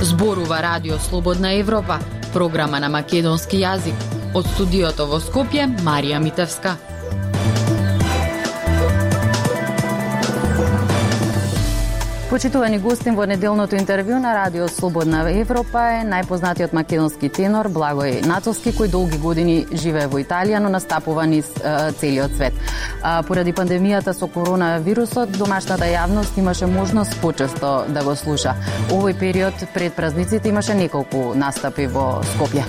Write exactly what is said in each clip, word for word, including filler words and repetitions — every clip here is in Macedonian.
Зборува Радио Слободна Европа, програма на македонски јазик. Од студиото во Скопје, Марија Митевска. Почитувани гостин во неделното интервју на Радио Слободна Европа е најпознатиот македонски тенор Благој Нацовски, кој долги години живее во Италија, но настапува низ е, целиот свет. А, поради пандемијата со коронавирусот, домашната јавност имаше можност почесто да го слуша. Овој период пред празниците имаше неколку настапи во Скопје.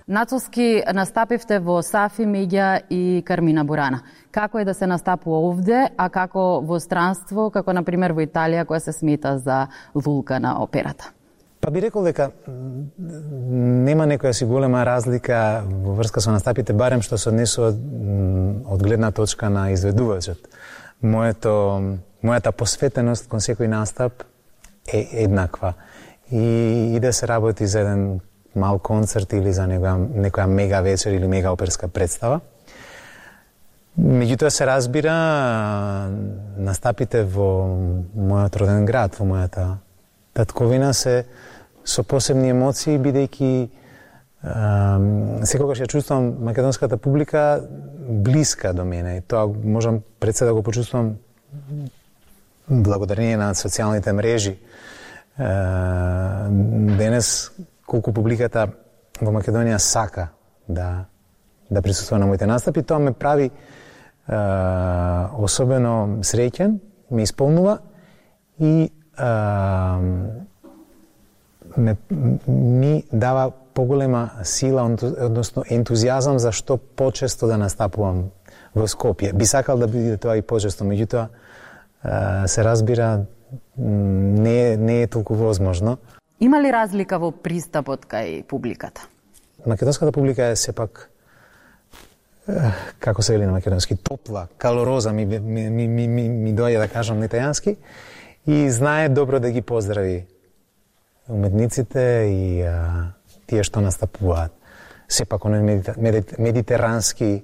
Нацовски настапивте во Сафи, Меѓа и Кармина Бурана. Како е да се настапува овде, а како во странство, како на пример во Италија, која се смета за лулка на операта? Па би рекол дека нема некоја си голема разлика во врска со настапите, барем што се однесува од гледна точка на изведувачот. Моето, мојата посветеност кон секој настап е еднаква. И, и да се работи за еден мал концерт или за некоја, некоја мега вечер или мега оперска представа. Меѓутоа се разбира, настапите во мојот роден град, во мојата татковина се со посебни емоции, бидејќи секогаш ја чувствувам македонската публика блиска до мене. И тоа можам пред се да го почувствувам благодарение на социјалните мрежи. Денес колку публиката во Македонија сака да да присуствува на моите настапи, тоа ме прави е, особено среќен, ме исполнува и е, ме, ми дава поголема сила, односно ентузијазам за што почесто да настапувам во Скопје. Би сакал да биде тоа и почесто, меѓутоа е, се разбира не, не е толку возможно. Има ли разлика во пристапот кај публиката? Македонската публика е сепак, како се вели на македонски, топла, калороза, ми, ми, ми, ми, ми, ми доаѓа да кажам на италијански, и знае добро да ги поздрави уметниците и а, тие што настапуваат. Сепак оној медитер, медитерански,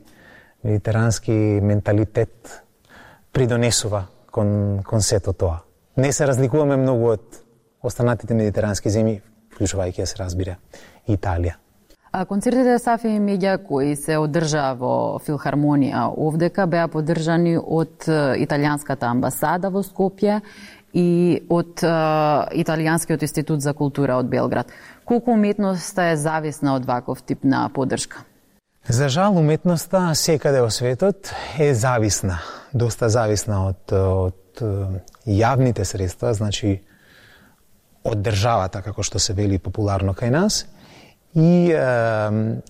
медитерански менталитет придонесува кон, кон сето тоа. Не се разликуваме многу од останатите медитерански земји, вклучувајќи се разбира Италија. А концертите Сафи и Меѓа кои се одржа во Филхармонија овдека беа поддржани од италијанската амбасада во Скопје и од Италијанскиот институт за култура од Белград. Колку уметноста е зависна од ваков тип на поддршка? За жал, уметноста секаде во светот е зависна, доста зависна од, од јавните средства, значи од државата, како што се вели популарно кај нас, и е,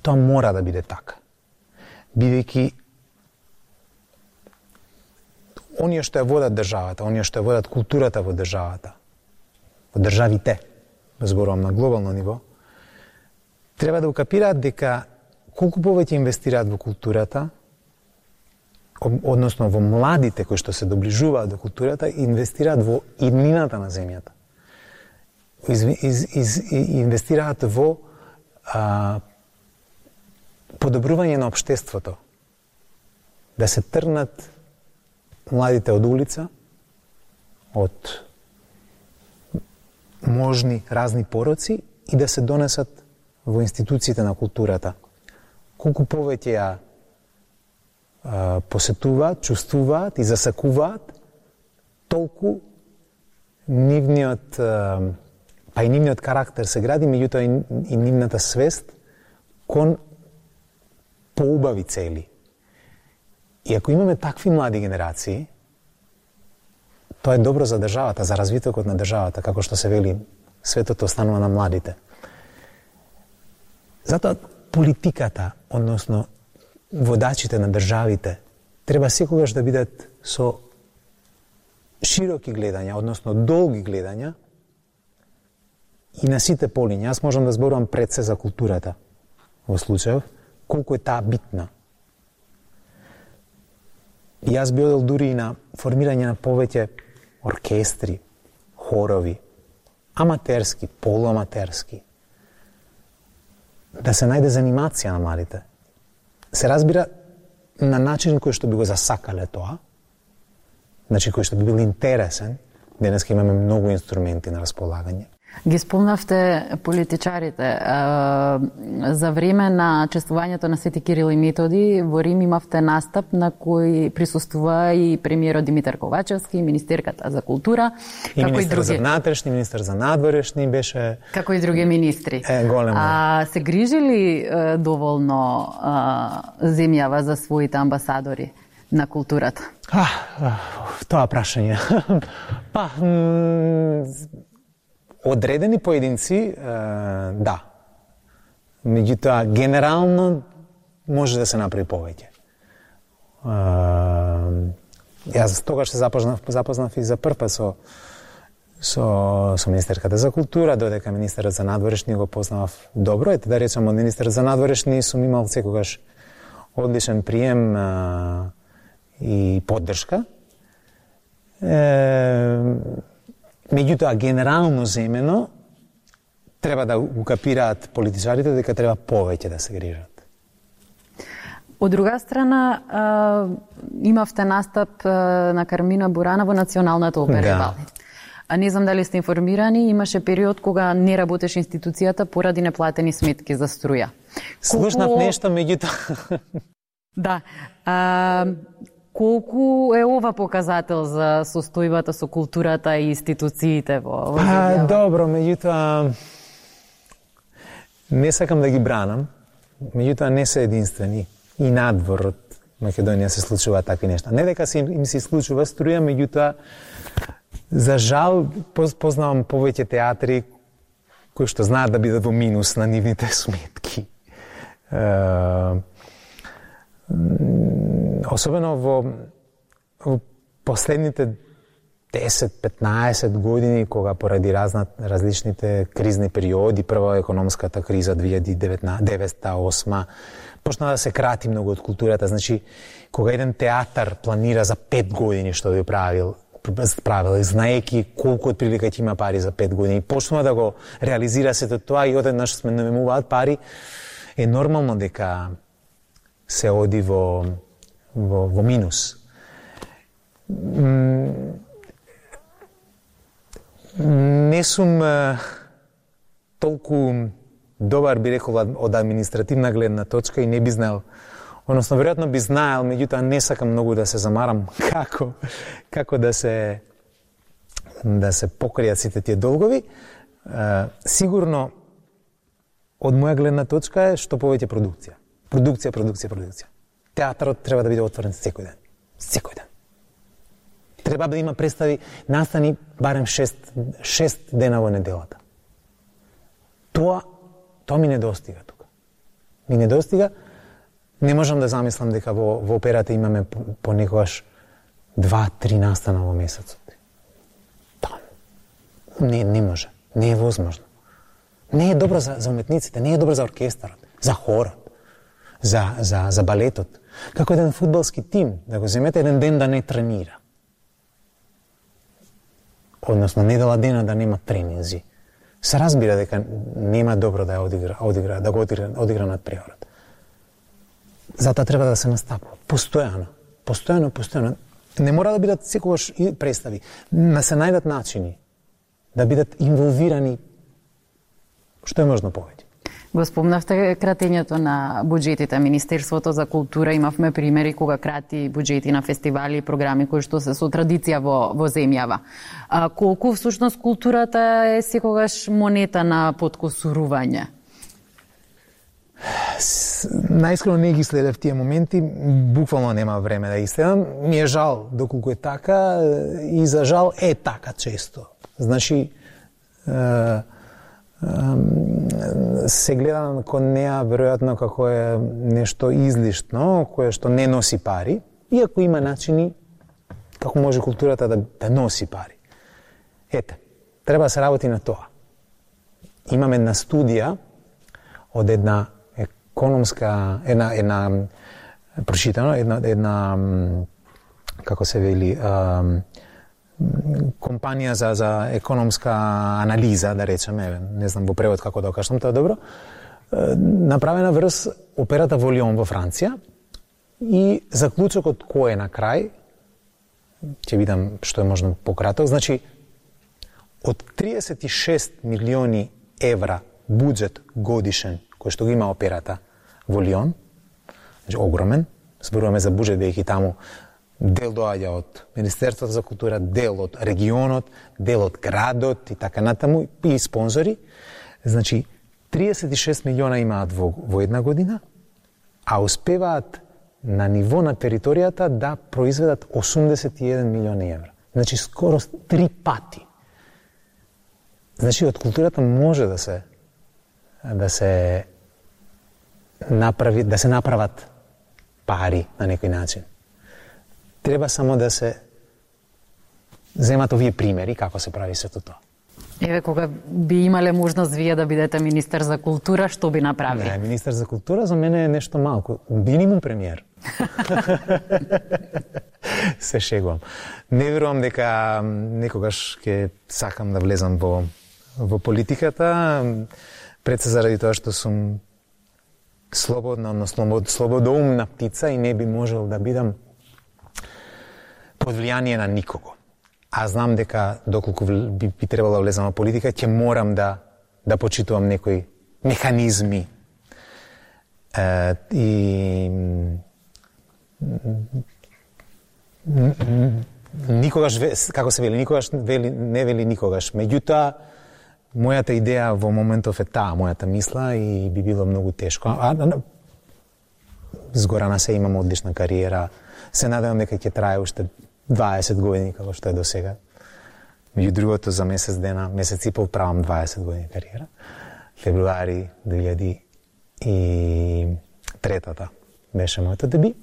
тоа мора да биде така. Бидејќи оние што ја водат државата, оние што ја водат културата во државата, во државите, зборувам на глобално ниво, треба да укапираат дека колку повеќе инвестираат во културата, односно во младите кои што се доближуваат до културата, инвестираат во иднината на земјата. Из, из, из, инвестираат во а, подобрување на општеството. Да се трнат младите од улица, од можни разни пороци и да се донесат во институциите на културата. Колку повеќе ја а, посетуваат, чувствуваат и засакуваат, толку нивниот а, па и нивниот карактер се гради, меѓутоа и, и нивната свест кон поубави цели. И ако имаме такви млади генерации, тоа е добро за државата, за развитокот на државата, како што се вели, светот останува на младите. Затоа политиката, односно водачите на државите, треба секогаш да бидат со широки гледања, односно долги гледања, и на сите полиња. Јас можам да зборувам пред се за културата во случајов, колку е таа битна. И јас би одел дури и на формирање на повеќе оркестри, хорови, аматерски, полуаматерски, да се најде занимација на младите. Се разбира на начин кој што би го засакале тоа, значи кој што би бил интересен. Денеска имаме многу инструменти на располагање. Ги спомнавте политичарите. За време на чествувањето на Свети Кирил и Методи во Рим имавте настап на кој присуствува и премиерот Димитар Ковачевски, министерката за култура, и како министр и други. за внатрешни, министр за надворешни беше... Како и други министри. Е, големо. А се грижи ли е, доволно а, земјава за своите амбасадори на културата? А, а, тоа прашање. Па, одредени поединци, да. Меѓутоа, генерално може да се направи повеќе. Јас тогаш се запознав, запознав и за прв пат со, со, со министерката за култура, додека министерот за надворешни го познавав добро. Ете да речем, од министерот за надворешни сум имал секогаш одличен прием а, и поддршка. Е, Меѓутоа, генерално земено, треба да укапираат политичарите дека треба повеќе да се грижат. Од друга страна, а, имавте настап а, на Кармина Бурана во Националната опера Да. и балет. А не знам дали сте информирани, имаше период кога не работеше институцијата поради неплатени сметки за струја. Слушнав Колку- нешто, меѓутоа... Да. А, колку е ова показател за состојбата со културата и институциите во, во А, земјава? добро, меѓутоа... Не сакам да ги бранам, меѓутоа не се единствени. И надвор од Македонија се случуваат такви нешта. Не дека се им, им се случува струја, меѓутоа, за жал, поз- познавам повеќе театри кои што знаат да бидат во минус на нивните сметки. Е, особено во, во последните десет-петнаесет години, кога поради разна, различните кризни периоди, прва економската криза две илјади и девета осма, почна да се крати многу од културата. Значи, кога еден театар планира за пет години што би правил, правил, знаеки колку отприлика ќе има пари за пет години, почнува да го реализира сето тоа и одеднаш сме намемуваат пари, е нормално дека се оди во, во, во минус. Не сум е, толку добар, би рекол, од административна гледна точка и не би знаел, односно, веројатно би знаел, меѓутоа не сакам многу да се замарам како, како да се да се покријат сите тие долгови. Е, сигурно, од моја гледна точка е што повеќе продукција. Продукција, продукција, продукција. Театарот треба да биде отворен секој ден. Секој ден. Треба да има представи, настани барем шест, шест дена во неделата. Тоа, тоа ми недостига тука. Ми недостига. Не можам да замислам дека во, во операта имаме понекогаш два-три настана во месецот. Тоа. Не, не може. Не е возможно. Не е добро за, за уметниците, не е добро за оркестарот, за хорот, за, за, за балетот. Како еден фудбалски тим, да го земете еден ден да не тренира. Односно, недела дена да нема тренинзи. Се разбира дека нема добро да ја одигра, одигра, да го одигра, одигра над приорот. Затоа треба да се настапува. Постојано. Постојано, постојано. Не мора да бидат секогаш и представи. Да се најдат начини да бидат инволвирани што е можно повеќе. Го спомнавте кратењето на буџетите. Министерството за култура имавме примери кога крати буџети на фестивали и програми кои што се со традиција во, во земјава. А, колку всушност културата е секогаш монета на подкосурување? Наискрено не ги следев тие моменти, буквално нема време да ги следам. Ми е жал доколку е така и за жал е така често. Значи, е, се гледа кон неа веројатно како е нешто излишно, кое што не носи пари, иако има начини како може културата да, да носи пари. Ете, треба да се работи на тоа. Имам една студија од една економска, една, една прочитано, една, една како се вели, компанија за, за економска анализа, да речеме, не знам во превод како да кажам тоа добро, направена врз операта Волион во Франција и заклучокот кој е на крај, ќе видам што е можно пократок, значи од триесет и шест милиони евра буџет годишен кој што го има операта Волион, значи огромен, зборуваме за буџет бидејќи таму дел доаѓа од Министерството за култура, дел од регионот, дел од градот и така натаму и спонзори. Значи триесет и шест милиона имаат во, во една година, а успеваат на ниво на територијата да произведат осумдесет и еден милиони евра. Значи скоро три пати. Значи од културата може да се да се направи, да се направат пари на некој начин. Треба само да се земат овие примери како се прави сето тоа. Еве, кога би имале можност вие да бидете министер за култура, што би направили? Не, министер за култура за мене е нешто малку. Минимум премиер. Се шегувам. Не верувам дека некогаш ќе сакам да влезам во, во политиката, пред се заради тоа што сум слободна, односно слободоумна птица и не би можел да бидам под влијание на никого. А знам дека доколку би, би требало да влезам во политика, ќе морам да да почитувам некои механизми. Е, и никогаш, како се вели, никогаш вели, не вели никогаш. Меѓутоа, мојата идеја во моментов е таа, мојата мисла и би било многу тешко. А, а, згора на се имам одлична кариера. Се надевам дека ќе трае уште дваесет години, како што е до сега. Меѓу другото, за месец дена, месец и пол правам дваесет години кариера. Февруари две илјади и третата беше моето деби.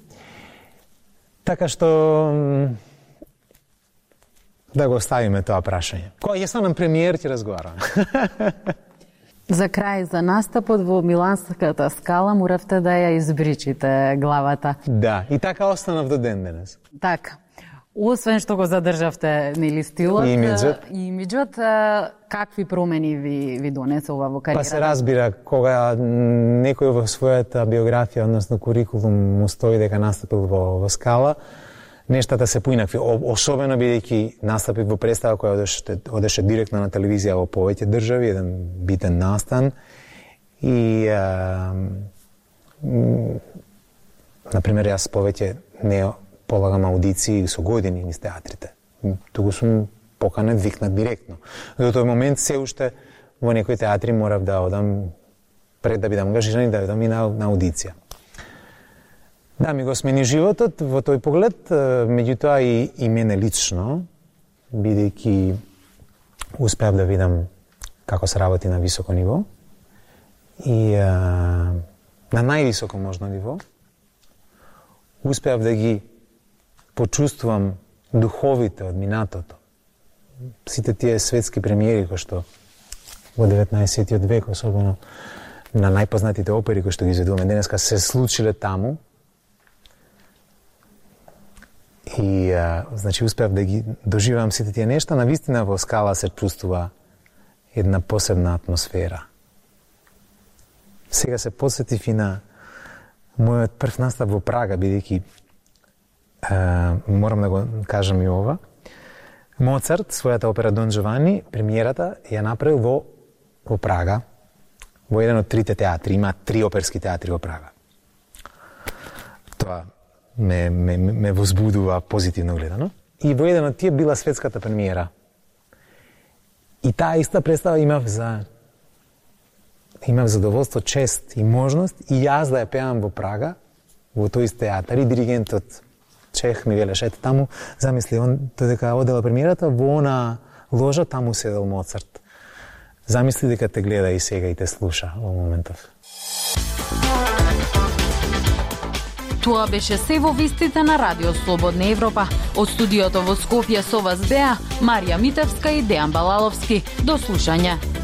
Така што да го оставиме тоа прашање. Кога ќе станам премиер, ќе разговараме. За крај, за настапот во Миланската скала моравте да ја избричите главата. Да, и така останав до ден денес. Така. Освен што го задржавте нели стилот и имиджот, и имиджот, какви промени ви ви донесе ова во кариерата? Па се разбира, кога некој во својата биографија, односно курикулум, му стои дека настапил во, во скала, нештата се поинакви, особено бидејќи настапив во представа која одеше, одеше директно на телевизија во повеќе држави, еден битен настан и а, например, јас повеќе не полагам аудиции со години низ театрите. Туку сум поканет, викнат директно. До тој момент се уште во некои театри морав да одам пред да бидам ангажиран и да одам и на, на аудиција. Да, ми го смени животот во тој поглед, меѓутоа и, и мене лично, бидејќи успеав да видам како се работи на високо ниво и а, на највисоко можно ниво, успеав да ги почувствувам духовите од минатото. Сите тие светски премиери кои што во деветнаесеттиот век, особено на најпознатите опери кои што ги изведуваме денеска, се случиле таму. И а, значи успеав да ги доживеам сите тие нешта, навистина во скала се чувствува една посебна атмосфера. Сега се потсетив и на мојот прв настап во Прага, бидејќи морам да го кажам и ова. Моцарт, својата опера Дон Джовани, премиерата ја направил во, во Прага, во еден од трите театри. Има три оперски театри во Прага. Тоа ме, ме, ме возбудува позитивно гледано. И во еден од тие била светската премиера. И таа иста представа имав за имав задоволство, чест и можност и јас да ја пеам во Прага, во тој ист театар, и диригентот Чех ми велеше, ете таму, замисли, он додека одела премиерата, во она ложа таму седел Моцарт. Замисли дека те гледа и сега и те слуша во моментов. Тоа беше се во вестите на Радио Слободна Европа. Од студиото во Скопје со вас беа Марија Митевска и Дејан Балаловски. До слушање.